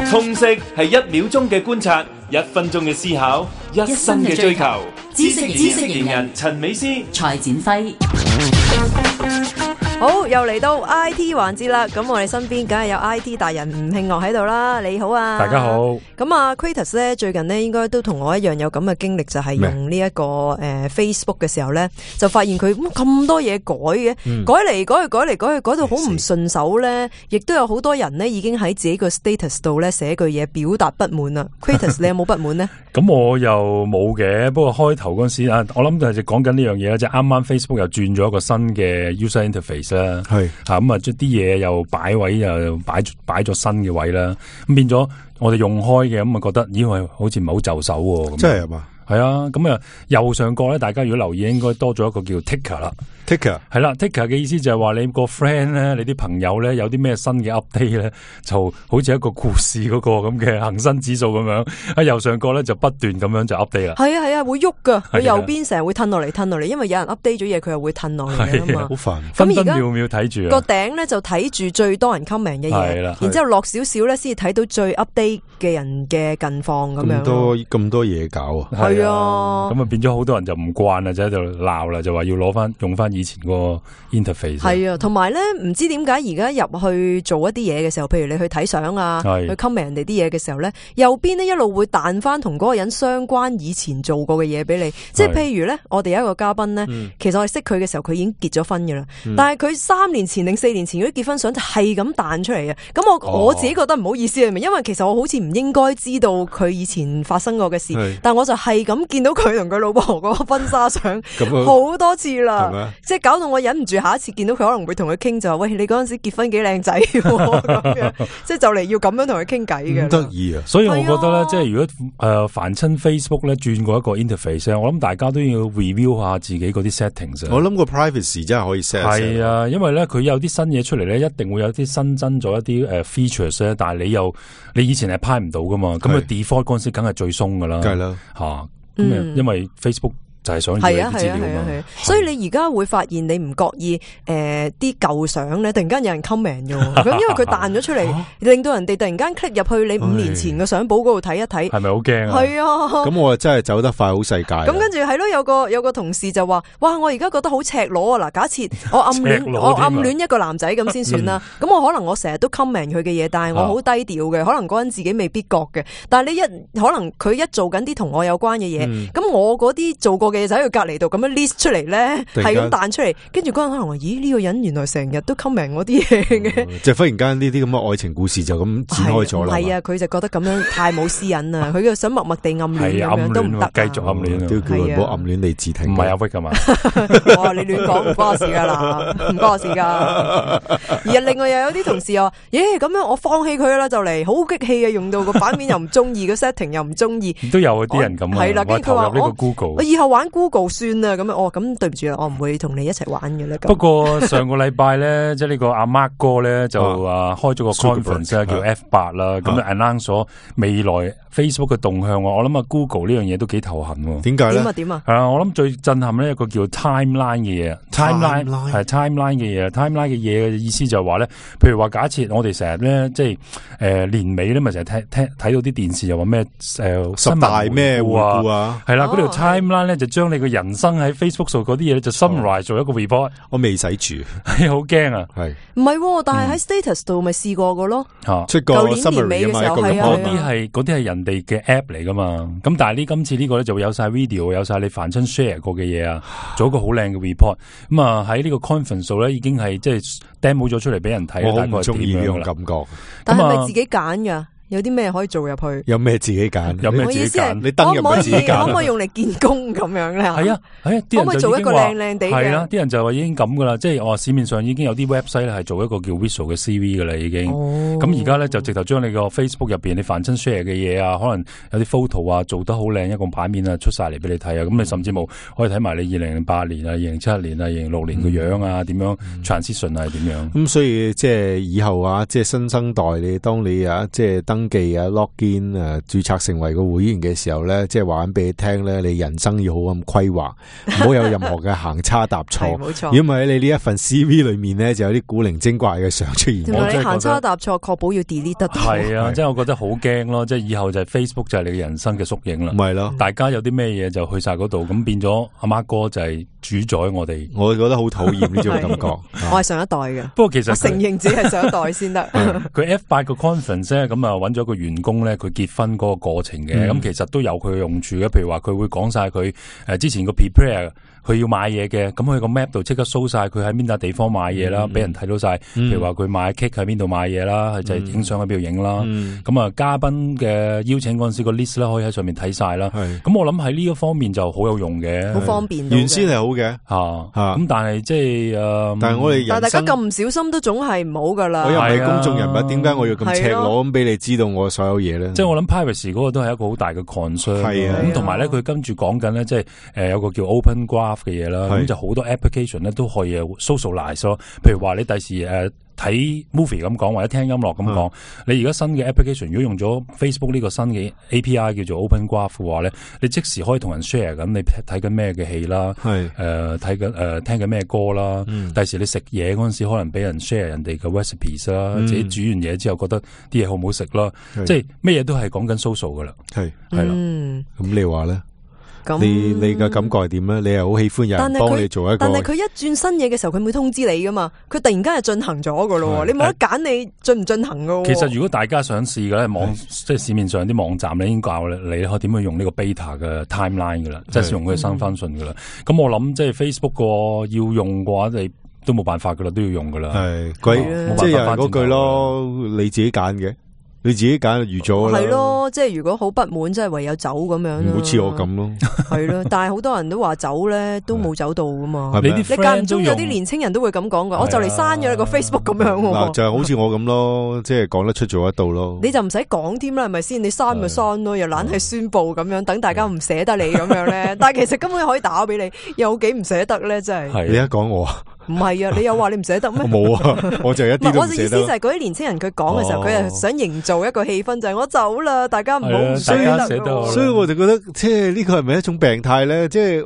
通識係1秒鐘嘅觀察，1分鐘嘅思考，1生嘅追求。知識型人陳美詩、蔡展輝。好，又嚟到 IT 環節啦，咁我哋身邊梗係有 IT 達人吳慶樂喺度啦，你好啊。大家好。咁啊 Kratos 咧最近咧應該都同我一樣有咁嘅經歷，就係用呢一個Facebook 嘅時候咧，就發現佢咁多嘢改嘅，改嚟改去改到好唔順手咧，亦都有好多人咧已經喺自己個 status 度咧寫句嘢表達不滿啦。Kratos 你有冇不滿呢？咁我又冇嘅，不過開頭嗰陣時啊，我諗就係講緊呢樣嘢啦，即係啱啱 Facebook 又轉咗一個新嘅 user interface 啦，係吓咁啊，將啲嘢又擺位又擺咗新嘅位啦，咁變咗我哋用開嘅咁啊，覺得咦喂，好似唔係好就手喎，真係嘛？係啊，咁啊右上角咧，大家如果留意，應該多咗一個叫 ticker 啦。ticker 係啦 ，ticker 嘅意思就係話你個 friend 咧，你啲朋友咧有啲咩新嘅 update 咧，就好似一個故事嗰個咁嘅恒生指數咁樣喺右上角咧就不斷咁樣就 update 啦。係啊，會喐噶，佢右邊成日會褪落嚟，因為有人 update 咗嘢，佢又會褪落嚟啊嘛。好煩，分分秒秒睇住。個頂咧就睇住最多人 comment 嘅嘢，然之後落少少咧先至睇到最 update 嘅人嘅近況咁樣。咁多嘢搞啊！係啊，咁啊變咗好多人就唔慣啦，就喺度鬧啦，就話要用翻以前個 interface。係啊，同埋咧唔知點解而家入去做一啲嘢嘅時候，譬如你去睇相啊，去 comment 人哋啲嘢嘅時候咧，右邊呢一路會彈翻同嗰個人相關以前做過嘅嘢俾你。即係譬如咧，我哋有一個嘉賓咧，其實我哋識佢嘅時候，佢已經結咗婚噶啦，但係佢3年前定4年前嗰啲結婚相就係咁彈出嚟啊！咁我自己覺得唔好意思係咪？因為其實我好似唔應該知道佢以前發生過嘅事，但我就係咁見到佢同佢老婆嗰個婚紗相好多次啦，即係搞到我忍唔住下一次見到佢可能會同佢傾，就話喂，你嗰陣時結婚幾靚仔咁樣，即係就嚟要咁樣同佢傾偈嘅。得意啊！所以我覺得咧，即係如果凡親 Facebook 咧轉過一個 interface， 我諗大家都要 review 下自己嗰啲 settings。我諗個 privacy 真係可以 set。係啊，因為咧佢有啲新嘢出嚟咧，一定會有啲新增咗一啲features 咧，但係你以前係派唔到噶嘛，咁佢 default 嗰陣時梗係最鬆噶啦，梗係啦吓。因為 Facebook 就係想要啲資料嘛，所以你而家會發現你唔覺意啲舊相咧，突然間有人 comment 嘅，咁因為佢彈咗出嚟，令到人哋突然間 click 入去你5年前嘅相簿嗰度睇一睇，係咪好驚啊？係啊，咁我真係走得快好世界。咁跟住係咯，有個同事就話：哇，我而家覺得好赤裸啊！嗱，假設我暗戀一個男仔咁先算啦，咁我可能我成日都 comment 佢嘅嘢，但係我好低調嘅，可能嗰陣自己未必覺嘅。但係可能佢一做緊啲同我有關嘅嘢，咁我嗰啲做過嘅嘢就喺佢隔籬度咁樣 list 出嚟咧，係咁彈出嚟，跟住嗰人可能話：咦，呢個人原來成日都 comment 我啲嘢嘅，即係忽然間呢啲咁嘅愛情故事就咁展開咗啦。係啊，佢就覺得咁樣太冇私隱啦，佢就想默默地暗戀咁樣都唔得，繼續暗戀，都叫佢唔好暗戀你自聽。唔係阿 Vic 噶嘛？哇，你亂講唔關我事噶啦，唔關我事噶。而另外又有啲同事話：咁樣我放棄佢啦，就嚟好激氣啊！用到個版面又唔中意，個 setting 又唔中意，都有啲人咁啊。係啦，跟住佢話呢個 Google， 我以後玩 Google 算啦。咁咁對唔住啦，我唔會同你一齊玩嘅咧。不過上個禮拜咧，即係呢個阿 Mark 哥咧就開咗個 conference 叫 F8 啦，咁就 announce 咗未來 Facebook 嘅動向。我諗Google 呢樣嘢都幾頭痕。點解咧？點啊？係啊，我諗最震撼呢一個叫 timeline 嘅嘢。timeline 係 timeline 嘅嘢。timeline 嘅嘢嘅意思就係話咧，譬如話假設我哋成日咧，即係年尾咧，咪成日睇到啲電視又話咩10大咩回顧啊？係啦，嗰條 timeline 咧就將你嘅人生喺 Facebook 上嗰啲嘢咧就 summarize 做一個 report。我未使住，係好驚啊！係唔係？但係喺 status 度咪試過個咯。出個 summary 啊嘛，嗰啲係人哋嘅 app 嚟噶嘛。咁但係今次呢個咧就會有晒 video， 有晒你凡親 share 過嘅嘢啊，做一個好靚嘅 report。咁啊喺呢個 conference 度咧已經係即係 demo 咗出嚟俾人睇。我好唔中意呢種感覺。但係咪自己揀噶？有啲咩可以做入去？有咩自己揀？有咩自己揀？你登入去自己揀。可唔可以用嚟見工咁樣咧？係啊，可唔可以做一個靚靚地嘅？係啦，啲人就話已經咁噶啦，即係市面上已經有啲 website 咧係做一個叫 visual 嘅 CV 噶啦，已經。咁而家咧就直頭將你個 Facebook 入邊你凡親 share 嘅嘢啊，可能有啲 photo 啊做得好靚一個版面啊出晒嚟俾你睇啊，咁你甚至冇可以睇埋你2008年啊、2007年啊、2006年嘅樣啊，點樣 transition 係點樣？咁所以即係以後啊，即係新生代你當你即係登登記啊 login 註冊成為個會員嘅時候咧，即係話緊俾你聽咧，你人生要好咁規劃，唔好有任何嘅行差踏錯。冇錯。如果唔係你呢一份 CV 裏面咧，就有啲古靈精怪嘅相出現。同埋你行差踏錯，確保要 delete 得到。係啊，即係我覺得好驚咯，即係以後就係 Facebook 就係你嘅人生嘅縮影啦。唔係咯，大家有啲咩嘢就去晒嗰度，咁變咗阿媽哥就係主宰我哋。我覺得好討厭呢種感覺。我係上一代嘅，不過其實我承認自己係上一代先得。佢 F8 個 conference 咧，咁啊揾咗個員工咧，佢結婚嗰個過程嘅，咁其實都有佢嘅用處嘅。譬如話佢會講晒佢之前個 prepare。佢要買嘢嘅，咁佢個 map 度即刻 show 晒佢喺邊笪地方買嘢啦，俾人睇到晒。譬如話佢買 cake 喺邊度買嘢啦，佢就係影相喺邊度影啦。咁啊，嘉賓嘅邀請嗰陣時個 list 咧，可以喺上面睇晒啦。咁我諗喺呢一方面就好有用嘅，好方便。原先係好嘅，咁但係即係但係我哋但係大家咁唔小心都總係唔好噶啦。我又唔係公眾人物，點解我要咁赤裸咁俾你知道我所有嘢咧？即係我諗 privacy 嗰個都係一個好大嘅 concern。咁同埋咧，佢跟住講緊咧，即係有個叫 Open Graph 嘅嘢啦。咁就好多 application 咧都可以 socialize 咯，譬如話你第時睇 movie 咁講，或者聽音樂咁講，你而家新嘅 application 如果用咗 Facebook 呢個新嘅 API 叫做 Open Graph 嘅話咧，你即時可以同人 share 緊你睇緊咩嘅戲啦，睇緊聽緊咩歌啦，第時你食嘢嗰陣時可能俾人 share 人哋嘅 recipes 啦，自己煮完嘢之後覺得啲嘢好唔好食啦，即係咩嘢都係講緊 social 噶啦，係啦，咁你話咧？你嘅感覺係點咧？你係好喜歡有人幫你做一個，但係佢一轉新嘢嘅時候，佢會通知你噶嘛？佢突然間就進行咗噶咯，你冇得揀，你進唔進行噶？其實如果大家想試嘅咧，即係市面上啲網站咧已經教你可以點樣用呢個 beta 嘅 timeline 噶啦，即係用佢嘅新翻信噶啦。咁我諗即係 Facebook 個要用嘅話，你都冇辦法噶啦，都要用噶啦。係，即係又係嗰句咯，你自己揀嘅。你自己揀預咗啦，係咯，即係如果好不滿，即係唯有走咁樣咯。好似我咁咯，係咯。但係好多人都話走咧，都冇走到噶嘛。你間唔中有啲年青人都會咁講噶，我就嚟刪咗你個 Facebook 咁樣。嗱，就係好似我咁咯，即係講得出做得到咯。你就唔使講添啦，係咪先？你刪咪刪咯，又懶係宣布咁樣，等大家唔捨得你咁樣咧。但係其實根本可以打俾你，有幾唔捨得咧？真係。你一講我。唔係啊，你又話你唔捨得咩？冇啊，我就一啲都唔捨得。我嘅意思就係嗰啲年青人佢講嘅時候，佢係想營造一個氣氛，就係我走啦，大家唔好唔捨得。所以我就覺得，即係呢個係咪一種病態咧？即係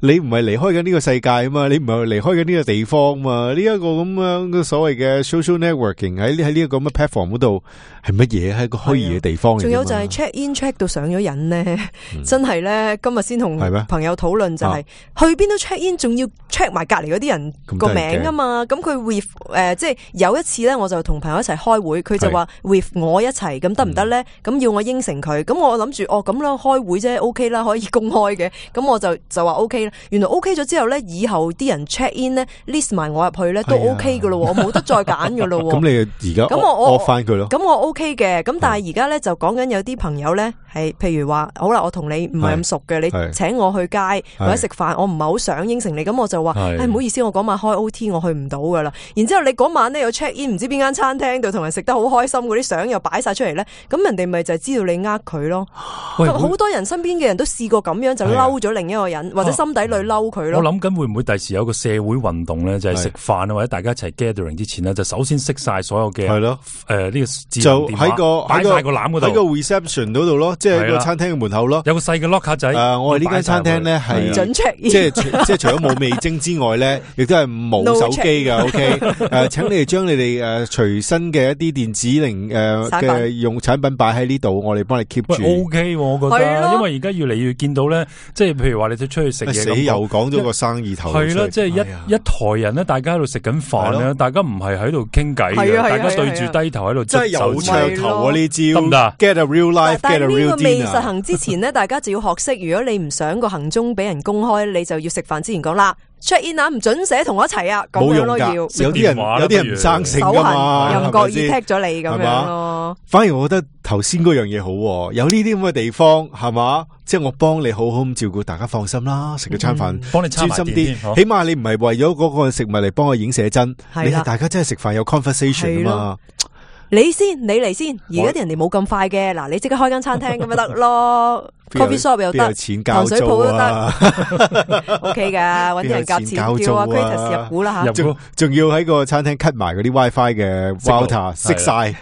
你唔係離開緊呢個世界啊嘛，你唔係離開緊呢個地方嘛？呢一個咁樣嘅所謂嘅 social networking 喺呢一個咁嘅 platform 嗰度係乜嘢？係一個虛擬嘅地方嚟。仲有就係 check in check 到上咗癮咧，真係咧，今日先同朋友討論就係去邊都 check in，仲要 check 埋隔籬嗰啲人個名啊嘛。咁佢 with 即係有一次咧，我就同朋友一齊開會，佢就話 with 我一齊，咁得唔得咧？咁要我應承佢，咁我諗住咁啦，開會啫 ，OK 啦，可以公開嘅，咁我就話 OK 啦。原來 OK 咗之後咧，以後啲人 check in 咧 list 埋我入去咧都 OK 噶咯，我冇得再揀噶咯。咁你而家咁我翻佢咯？咁我 OK 嘅，咁但係而家咧就講緊有啲朋友咧係，譬如話好啦，我同你唔係咁熟嘅，你請我去街或者食飯，我唔係好想應承你，咁我就話唔好意思，我嗰晚開 OT，我去唔到噶啦。然之後你嗰晚咧有 check in，唔知邊間餐廳度同人食得好開心，嗰啲相又擺晒出嚟咧，咁人哋咪就係知道你呃佢咯。好多人身邊嘅人都試過咁樣就嬲咗另一個人，或者心底裏嬲佢咯。我諗緊會唔會第時有個社會運動咧，就係食飯啊或者大家一齊 gathering 之前咧，就首先熄晒所有嘅係咯呢個就喺個籃嗰度，喺個 reception 嗰度咯，即係個餐廳嘅門口咯，有個細嘅 locker 仔。我哋呢間餐廳咧係準 check，即係除咗冇味精之外咧，亦都係冇手機嘅。OK， 請你哋將你哋隨身嘅一啲電子嘅用產品擺喺呢度，我哋幫你 keep 住。OK， 我覺得，因為而家越嚟越見到咧，即係譬如話你哋出去食嘢，死又講咗個生意頭。係啦，即係一台人咧，大家喺度食緊飯咧，大家唔係喺度傾偈嘅，大家對住低頭喺度，真係有噱頭啊！呢招得唔得 ？Get a real life， 但係呢個未 dinner 實行之前咧，大家就要學識，如果你唔想個行蹤俾人公開，你就要食飯之前講啦。check in 啊，唔准寫同我一齊啊，咁樣咯要。有啲人唔生性噶嘛，又唔覺意踢咗你咁樣咯。反而我覺得頭先嗰樣嘢好，有呢啲咁嘅地方係嘛，即係我幫你好好咁照顧，大家放心啦，食咗餐飯，幫你專心啲，起碼你唔係為咗嗰個食物嚟幫我影寫真，你係大家真係食飯有 conversation 啊嘛。你嚟先，而家啲人哋冇咁快嘅，嗱，你即刻開間餐廳咁咪得咯。，coffee shop 又得，有錢交糖水鋪都得啊，OK 噶，搵啲人夾錢叫阿 Kratos 入股啦吓，仲要喺個餐廳 cut 埋嗰啲 WiFi 嘅 router 熄晒。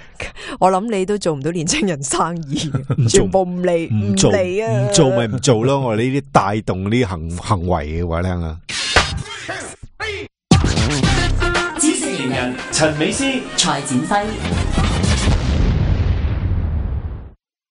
我諗你都做唔到年青人生意，全部唔嚟啊！唔做咪唔做咯，我哋呢啲帶動呢啲行為嘅話聽啊。知識型人陳美詩、蔡展輝。